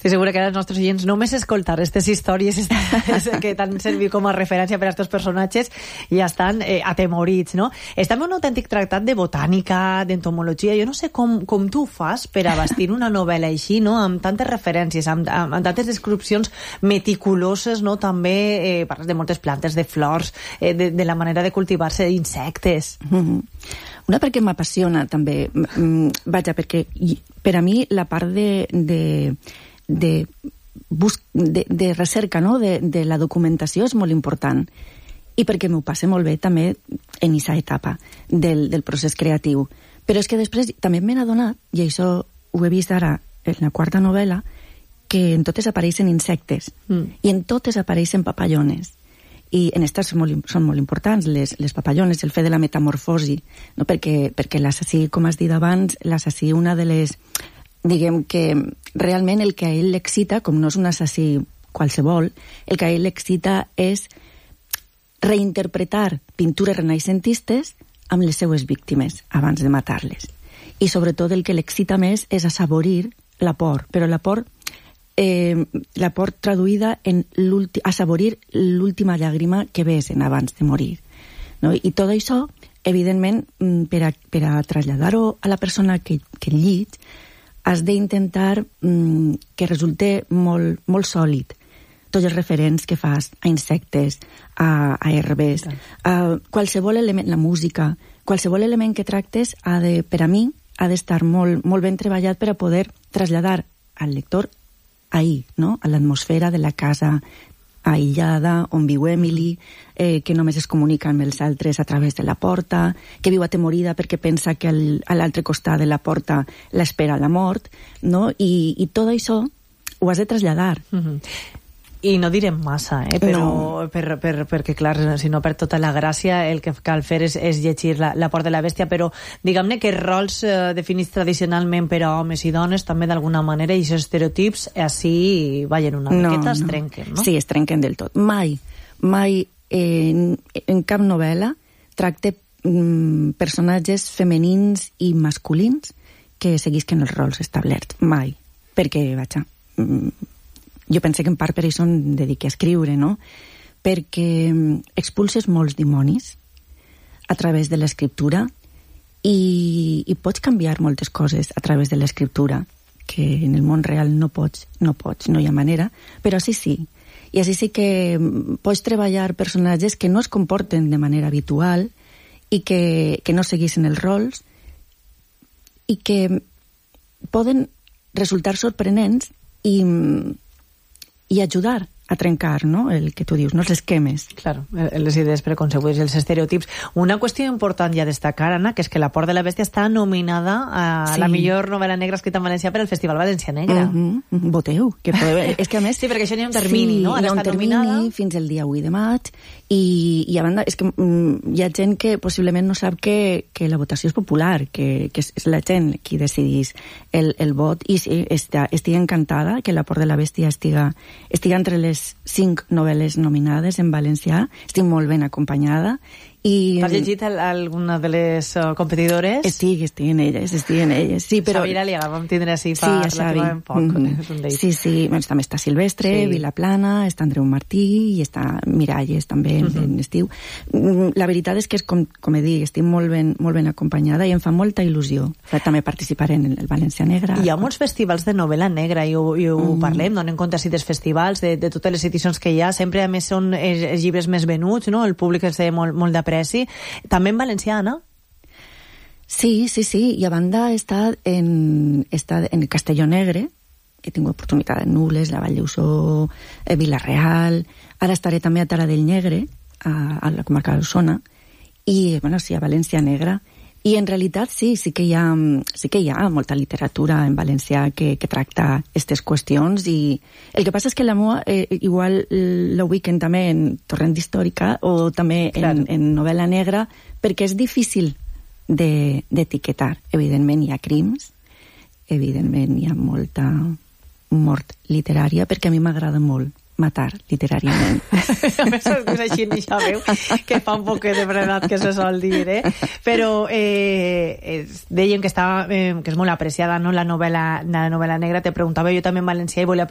Estic segura que els nostres oients només escoltar aquestes històries que t'han servit com a referència per a aquests personatges ja estan atemorits, no? És també un autèntic tractat de botànica, d'entomologia. Jo no sé com tu ho fas per a bastir una novel·la així, no? Amb tantes referències, amb tantes descripcions meticuloses, no? També parles de moltes plantes, de flors, de la manera de cultivar-se, d'insectes. Una perquè m'apassiona també, vaja, perquè per a mi la part de recerca, no? de la documentació és molt important, i perquè m'ho passe molt bé també en aquesta etapa del procés creatiu. Però és que després també m'he adonat, i això ho he vist ara en la quarta novel·la, que en totes apareixen insectes, i en totes apareixen papallones. I en aquestes són molt importants, les papallones, el fet de la metamorfosi, no? perquè l'assassí, com has dit abans, l'assassí, una de les... Diguem que realment el que a ell l'excita, com no és un assassí qualsevol, el que a ell l'excita és reinterpretar pintures renaixentistes amb les seues víctimes abans de matar-les. I sobretot el que l'excita més és assaborir la por, però la por traduïda en assaborir l'última llàgrima que besen abans de morir. No? I tot això, evidentment, per a traslladar-ho a la persona que llig, has d'intentar que resulte molt, molt sòlid. Tots els referents que fas a insectes, a herbes, a qualsevol element, la música, qualsevol element que tractes, per a mi, ha d'estar molt, molt ben treballat per a poder traslladar al lector ahí, no? A l'atmosfera de la casa aïllada, on viu Emily, que només es comunica amb els altres a través de la porta, que viu atemorida perquè pensa que a l'altre costat de la porta l'espera la mort, no? I tot això ho has de traslladar. I no direm massa, però no. perquè, clar, si no per tota la gràcia el que cal fer és llegir La por de la bèstia, però diguem-ne que rols definits tradicionalment per a homes i dones també d'alguna manera, i aquests estereotips així ballen una miqueta, es trenquen, no? Sí, es trenquen del tot. Mai en cap novel·la tracte personatges femenins i masculins que seguisquen els rols establerts. Mai. Perquè, vaja... Jo penso que en part per això em dediqué a escriure, no? Perquè expulses molts dimonis a través de l'escriptura i pots canviar moltes coses a través de l'escriptura, que en el món real no pots, no hi ha manera, però així sí. I així sí que pots treballar personatges que no es comporten de manera habitual i que no seguissin els rols i que poden resultar sorprenents i ajudar a trencar, no?, el que tu dius, no?, els esquemes. Claro, les idees preconcebudes i els estereotips. Una qüestió important ja a destacar, Anna, que és que La por de la bèstia està nominada a la millor novel·la negra escrita en valencià per al Festival València Negra. Voteu, que podeu... És que a més... Sí, perquè això n'hi ha un termini, no? Hi ha un termini fins el dia 8 de maig i a banda, és que hi ha gent que possiblement no sap que la votació és popular, que és la gent qui decidís el vot, i sí, estic encantada que La por de la bèstia estiga entre les 5 novel·les nominades en valencià. Estic molt ben acompanyada. T'has llegit alguna de les competidores? Estic en elles. Sí, però... Xavi Aliaga, vam tindre així fa relativament poc. Sí. Bueno, també està Silvestre, Vilaplana, està Andreu Martí i està Miralles també en estiu. La veritat és que, com he dit, estic molt ben acompanyada i em fa molta il·lusió. També participaré en el València Negra. Hi ha molts festivals de novel·la negra i ho parlem, donem compte així dels festivals, de totes les edicions que hi ha. Sempre, a més, són els llibres més venuts, no? El públic els té molt d'apreci. També en valencià, no? Sí, i a banda està en Castelló Negre, he tingut oportunitat en Nules, la Vall d'Usó, Vila-real, ara estaré també a Taradell Negre, a la comarca d'Osona, i, bueno, sí, a València Negra. I en realitat sí que hi ha molta literatura en valencià que tracta aquestes qüestions, i el que passa és que la meva igual l'ubiquen també en Torrent d'Històrica o també en novel·la negra, perquè és difícil d'etiquetar. Evidentment hi ha crims, evidentment hi ha molta mort literària, perquè a mi m'agrada molt matar literàriament. A més, és així, ja veu, que fa un poc de frenat que se sol dir, Però deien que és molt apreciada, no?, la novel·la negra. Te preguntava jo també en valencià i volia